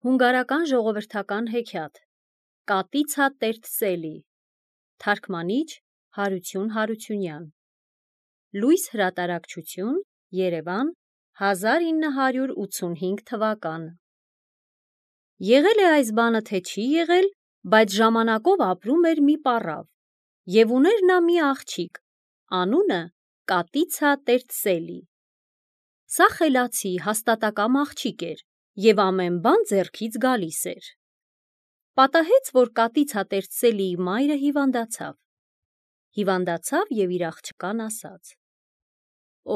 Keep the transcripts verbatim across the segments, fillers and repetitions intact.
Հունգարական ժողովրդական հեքիաթ Կատիցա Տերտսելի Թարգմանիչ Հարություն Հարությունյան Լույս հրատարակչություն Երևան հազար ինը հարյուր ութսունհինգ թվական Եղել է այս բանը թե չի եղել, բայց ժամանակով ապրում էր մի պառավ, և ուներ նա մի աղջիկ, անունը Կատիցա Տերտսելի։ Սա խելացի, հաստատակամ աղջիկ էր, և ամեն բան ձեռքից գալիս էր։ Պատահեց, որ Կատիցա Տերտսելիի մայրը հիվանդացավ։ Հիվանդացավ և իր աղջկան ասաց.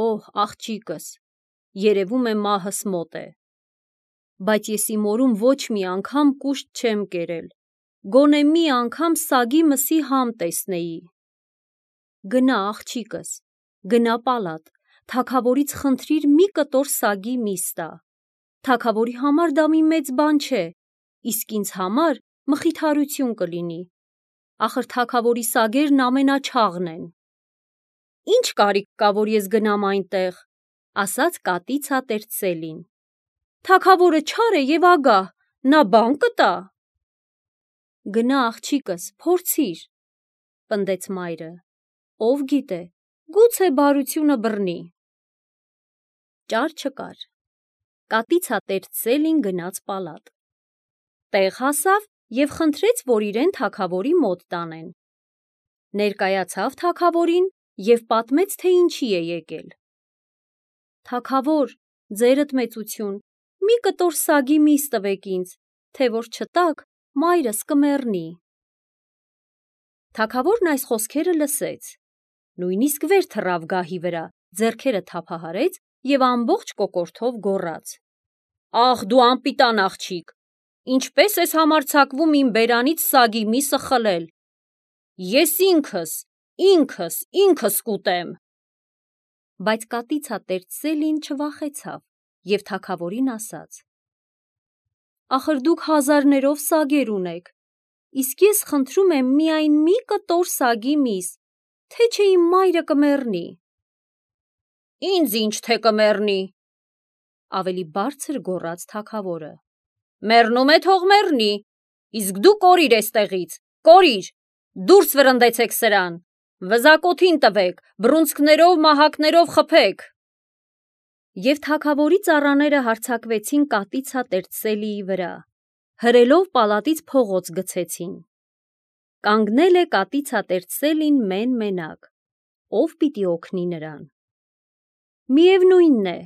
«Օհ, աղջիկս, երևում է մահս մոտ է, բայց ես իմ օրում ոչ մի անգամ կուշտ չեմ կերել, գոնե մի անգամ սագի մսի համ տեսնեի։ Գնա, աղջիկս, գնա պալատ, թագավորից խնդրիր մի կտոր սագի միս տա։ Թագավորի համար դա մի մեծ բան չէ, իսկ ինձ համար մխիթարություն կլինի, ախր թագավորի սագերն ամենաչաղն են»։ «Ինչ կարիք կա, որ ես գնամ այնտեղ», ասաց Կատիցա Տերտսելին։ «Թագավորը չար է և ագահ, նա բան կտա»։ «Գնա, աղջիկս, փորձիր», պնդեց մայրը, ով գիտե, գուցե բարությունը բռնի։ Ճար չկար։ Կատիցա Տերտսելին գնաց պալատ։ Տեղ հասավ և խնդրեց, որ իրեն թագավորի մոտ տանեն։ Ներկայացավ թագավորին և պատմեց, թե ինչի է եկել։ «Թագավոր, ձերդ մեծություն, մի կտոր սագի միս տվեք ինձ, թե որ չտաք, մայրս կմեռնի»։ Թագավորն այս խոսքերը լսեց, նույնիսկ վեր թռավ գահի վրա, ձեռքերը թափահարեց և ամբողջ կոկորդով գոռաց. «Ախ, դու անպիտան աղջիկ, ինչպե՞ս ես համարձակվում իմ բերանից սագի միսը խլել։ Ես ինքս, ինքս, ինքս կուտեմ»։ Բայց Կատիցա Տերտսելին չվախեցավ և թագավորին ասաց. «Ախր դուք հազարներով սագեր ունեք, իսկ ես խնդրում եմ միայն մի կտոր սագի միս, թե չէ իմ մայրը կմեռնի»։ «Ինձ ինչ թե կմեռնի», ավելի բարձր գոռաց թագավորը։ «Մեռնում է, թող մեռնի, իսկ դու կորիր էստեղից, կորիր, դուրս վրընդեցեք սրան, վզակոթին տվեք, բռունցքներով, մահակներով խփեք»։ Եվ թագավորի ծառաները հարձակվեցին Կատիցա Տերտսելիի վրա, հրելով պալատից փողոց գցեցին։ Կանգնել է Կատիցա Տերտսելին մեն-մենակ, ով պիտի օգնի նրան։ «Միևնույն է»,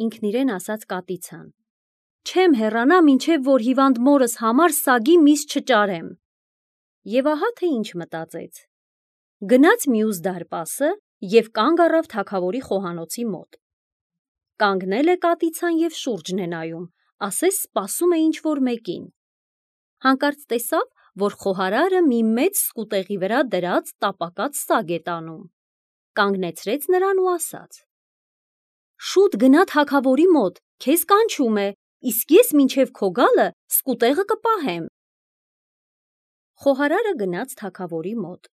ինքն իրեն ասաց Կատիցան, «չեմ հեռանա, մինչև որ հիվանդ մորս համար սագի միս չճարեմ»։ Եվ ահա թե ինչ մտածեց։ Գնաց մյուս դարպասը և կանգ առավ թագավորի խոհանոցի մոտ։ Կանգնել է Կատիցան և շուրջն է նայում, ասես սպասում է ինչ-որ մեկին։ Հանկարծ տեսավ, որ խոհարարը մի մեծ սկուտեղի վրա դրած տապակած սագ է տանում։ Կանգնեցրեց նրան ու ասաց. «Շուտ գնա թագավորի մոտ, քեզ կանչում է, իսկ ես մինչև քո գալը սկուտեղը կպահեմ»։ Խոհարարը գնաց թագավորի մոտ,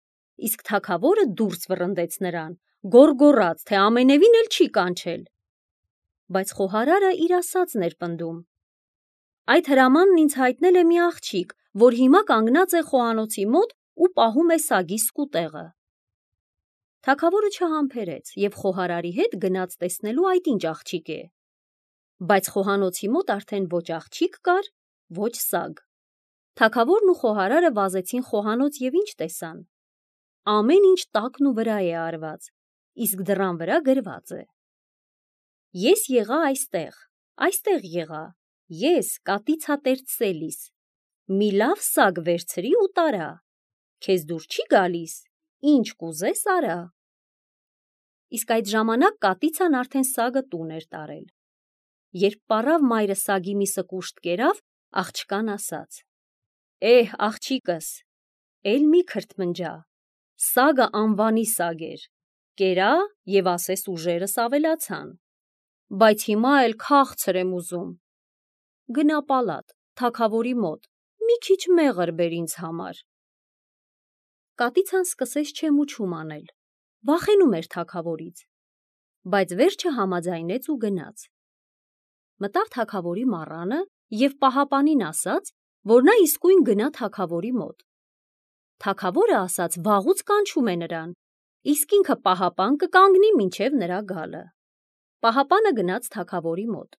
իսկ թագավորը դուրս վռնդեց նրան, գոռգոռաց, թե ամենևին էլ չի կանչել։ Բայց խոհարարը իր ասածն էր պնդում։ «Այդ հրամանն ինձ հայտնել է մի աղջիկ, որ հիմա կանգնած է խոհանոցի մոտ ու պահում է սագի սկուտեղը»։ Թագավորը չհամբերեց և խոհարարի հետ գնաց տեսնելու այդ ինչ աղջիկ է։ Բայց խոհանոցի մոտ արդեն ոչ աղջիկ կար, ոչ սագ։ Թագավորն ու խոհարարը վազեցին խոհանոց և ինչ տեսան։ Ամեն ինչ տակն ու վրա է արված, իսկ դռան վրա գրված է. «Ես եղա այստեղ, այստեղ եղա, ես Կատիցա Տերտսելիս, մի լավ սագ վերցրի ու տարա, քեզ դուր չի գալիս, ինչ կուզես արա»։ Իսկ այդ ժամանակ Կատիցան արդեն սագը տուն էր տարել։ Երբ պառավ մայրը սագի միսը կուշտ կերավ, աղջկան ասաց. «Էհ, աղջիկս, էլ մի քրթմնջա, սագը անվանի սագ էր, կերա և ասես ուժերս ավելացան, բայց հիմա էլ քաղցր եմ ուզում։ Գնա պալատ, թագավորի մոտ, մի քիչ մեղր բեր ինձ համար»։ Կատիցան սկսեց չեմ ու չում անել, վախենում էր թագավորից, բայց վերջը համաձայնեց ու գնաց։ Մտավ թագավորի մառանը և պահապանին ասաց, որ նա իսկույն գնա թագավորի մոտ։ Թագավորը ասաց վաղուց կանչում է նրան, իսկ ինքը պահապան կկանգնի մինչև նրա գալը։ Պահապանը գնաց թագավորի մոտ։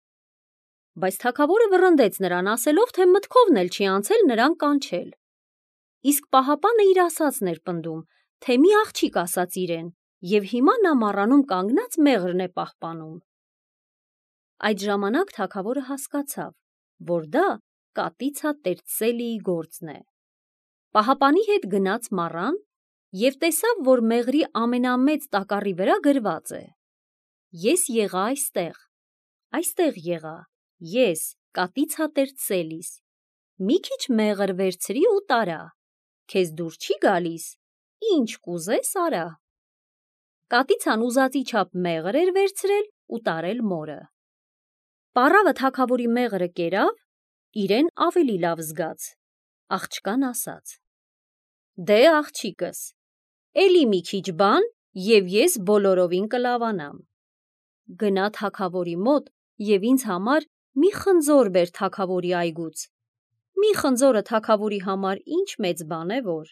Բայց թագավորը վռնդեց նրան, ասելով, թե մտքովն էլ չի անցել նրան կանչել։ Իսկ պահապանը իր ասածն էր պնդում, թե մի աղջիկ ասաց իրեն, և հիմա նա մառանում կանգնած մեղրն է պահպանում։ Այդ ժամանակ թագավորը հասկացավ, որ դա Կատիցա Տերտսելիի գործն է։ Պահապանի հետ գնաց մառան և տեսավ, որ մեղրի ամենամեծ տակառի վրա գրված է. «Ես եղա այստեղ, այստեղ եղա, ես Կատիցա Տերտսելիս, մի քիչ մեղր վերցրի ու տարա, քեզ դուր չի գալիս, ինչ կուզես արա»։ Կատիցան ուզածի չափ մեղր էր վերցրել ու տարել մորը։ Պառավը թագավորի մեղրը կերավ, իրեն ավելի լավ զգաց, աղջկան ասաց. «Դե աղջիկս, էլի մի քիչ բան, և ես բոլորովին կլավանամ։ Գնա թագավորի մոտ և ինձ համար մի խնձոր բեր թագավորի այգուց։ Մի խնձորը թագավորի համար ինչ մեծ բան է, որ,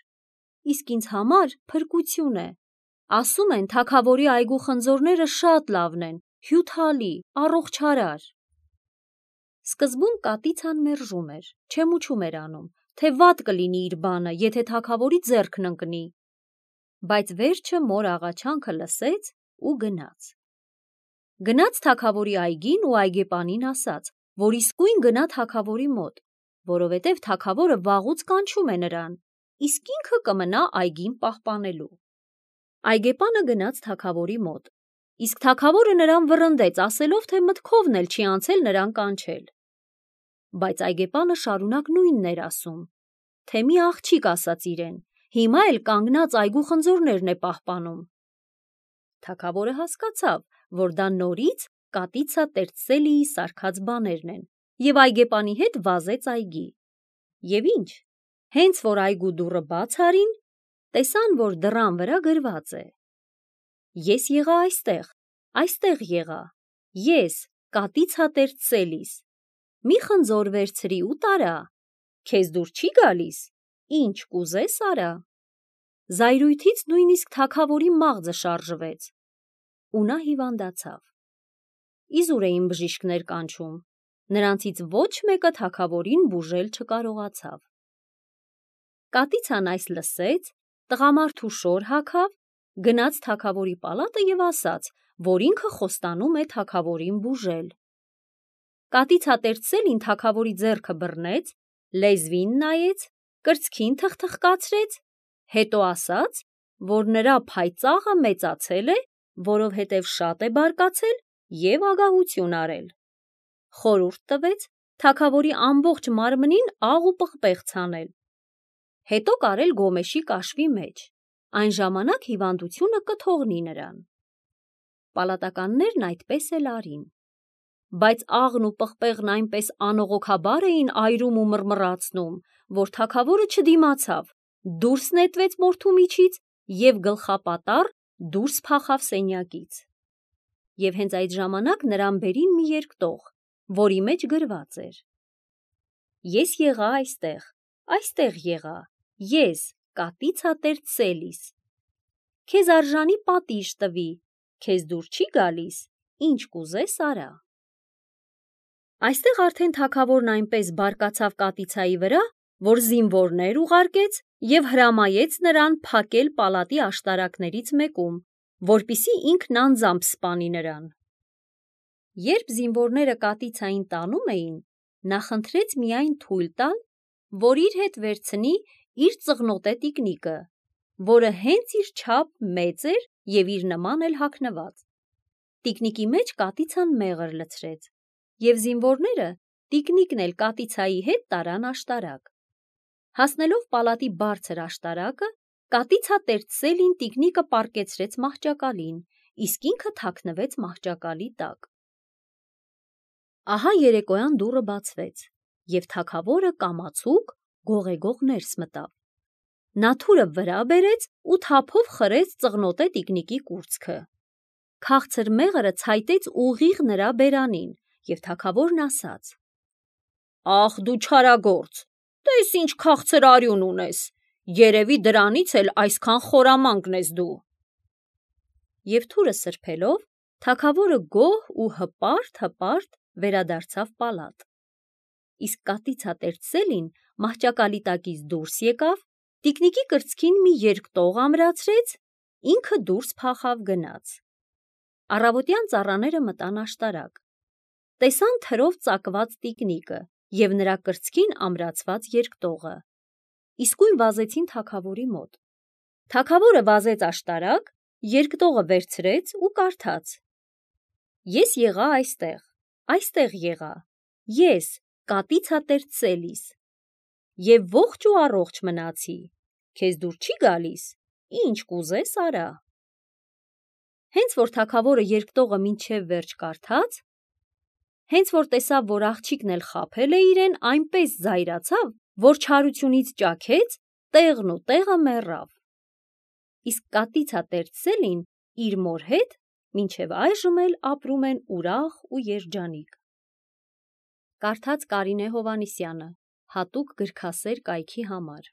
իսկ ինձ համար փրկություն է։ Ասում են, թագավորի այգու խնձորները շատ լավն են, հյութալի, առողջարար»։ Սկզբում Կատիցան մերժում էր, չեմուչում էր անում, թե վատ կլինի իր բանը, եթե թագավորի ձեռքն ընկնի, բայց վերջը մոր աղաչանքը լսեց ու գնաց։ Գնաց թագավորի այգին ու այգեպանին ասաց, որ իսկույն գնա թագավորի մոտ, որովհետև թագավորը վաղուց կանչում է նրան, իսկ ինքը կմնա այգին պահպանելու։ Այգեպանը գնաց թագավորի մոտ, իսկ թագավորը նրան վռնդեց, ասելով, թե մտքովն էլ չի անցել նրան կանչել։ Բայց այգեպանը շարունակ նույնն էր ասում, թե մի աղջիկ ասաց իրեն, հիմա էլ կանգնած այգու խնձորներն է պահպանում։ Թագավորը հասկացավ, որ դա նորից Կատիցա Տերտսելիի սարքած բաներն են, և այգեպանի հետ վազեց այգի։ Եվ ինչ, հենց որ այգու դուռը բաց արին, տեսան, որ դռան վրա գրված է. «Ես եղա այստեղ, այստեղ եղա, ես Կատիցա Տերտսելիս, մի խնձոր վերցրի ու տարա, քեզ դուր չի գալիս, ինչ կուզես արա»։ Զայրույթից նույնիսկ թագավորի մաղձը շարժվեց, ու նա հիվանդացավ։ Իզուր էին բժիշկներ կանչում, նրանցից ոչ մեկը թագավորին բուժել չկարողացավ։ Կատիցան այս լսեց, տղամարդու շոր հագավ, գնաց թագավորի պալատը և ասաց, որ ինքը խոստանում է թագավորին բուժել։ Կատիցա Տերտսելին թագավորի ձեռքը բռնեց, լեզվին նայեց, կրծքին թխթխկացրեց, հետո ասաց, որ նրա փայծաղը մեծացել է, որովհետև շատ է բարկացել և ագահություն արել։ Խորհուրդ տվեց թագավորի ամբողջ մարմնին աղ ու պղպեղ ցանել, հետո կարել գոմեշի կաշվի մեջ, այն ժամանակ հիվանդությունը կթողնի նրան։ Պալատականներն այդպես էլ արին։ Բայց աղն ու պղպեղն այնպես անողոքաբար էին այրում ու մռմռացնում, որ թագավորը չդիմացավ, դուրս նետվեց մորթու միջից և գլխապատառ դուրս փախավ սենյակից։ Եվ հենց այդ ժամանակ նրան բերին մի երկտող, որի մեջ գրված էր. «Ես եղա այստեղ, այստեղ եղա, ես Կատիցա Տերտսելիս, քեզ արժանի պատիժ տվի, քեզ դուր չի գալիս, ինչ կուզես արա»։ Այստեղ արդեն թագավորն այնպես բարկացավ Կատիցայի վրա, որ զինվորներ ուղարկեց և հրամայեց նրան փակել պալատի աշտարակներից մեկում, որպեսզի ինքն անձամբ սպանի նրան։ Երբ զինվորները Կատիցային տանում էին, նա խնդրեց միայն թույլ տալ, որ իր հետ վերցնի իր ծղնոտե տիկնիկը, որը հենց իր չափ մեծ էր և իր նման էլ հագնված։ Տիկնիկի մեջ Կատիցան մեղր լցրեց, և զինվորները տիկնիկն էլ Կատիցայի հետ տարան աշտարակ։ Հասնելով պալատի բարձր աշտարակը, Կատիցա Տերտսելին տիկնիկը պառկեցրեց մահճակալին, իսկ ինքը թաքնվեց մահճակալի տակ։ Ահա երեկոյան դուռը բացվեց, և թագավորը կամացուկ գողեգող ներս մտավ։ Նա թուրը վրա բերեց ու թափով խրեց ծղնոտե տիկնիկի կուրծքը։ Քաղցր մեղրը ցայտեց ուղիղ նրա բերանին, և թագավորն ասաց. Ախ դու չարագործ, տես ինչ քաղցր արյուն ունես, երևի դրանից էլ այսքան խորամանկ ես դու։ Եվ թուրը սրբելով, թագավորը գոհ ու հպարտ-հպարտ վերադարձավ պալատ։ Իսկ կատիցատեր Սելին մահճակալի տակից դուրս եկավ, տիկնիկի կրծքին մի երկտող ամրացրեց, ինքը դուրս փախավ գնաց։ Առավոտյան ծառաները մտան աշտարակ, տեսան թրով ծակված տիկնիկը և նրա կրծքին ամրացված երկտողը, իսկույն վազեցին թագավորի մոտ։ Թագավորը վազեց աշտարակ, երկտողը վերցրեց ու կարդաց. Ես եղա այստեղ, այստեղ եղա, ես կատիցատեր Սելիս, և ողջ ու առողջ մնացի, քեզ դուր չի գալիս, ինչ կուզես արա։ Հենց որ թագավորը երկտողը մինչև վերջ կարդաց, հենց որ տեսավ, որ աղջիկն էլ խաբել է իրեն, այնպես զայրացավ, որ չարությունից ճաքեց, տեղն ու տեղը մեռավ։ Իսկ կատիցատեր Սելին իր մոր հետ մինչև այժմ էլ ապրում են ուրախ ու երջանիկ։ Կարդաց Կարինե Հովհաննիսյանը, հատուկ գրքասեր կայքի համար։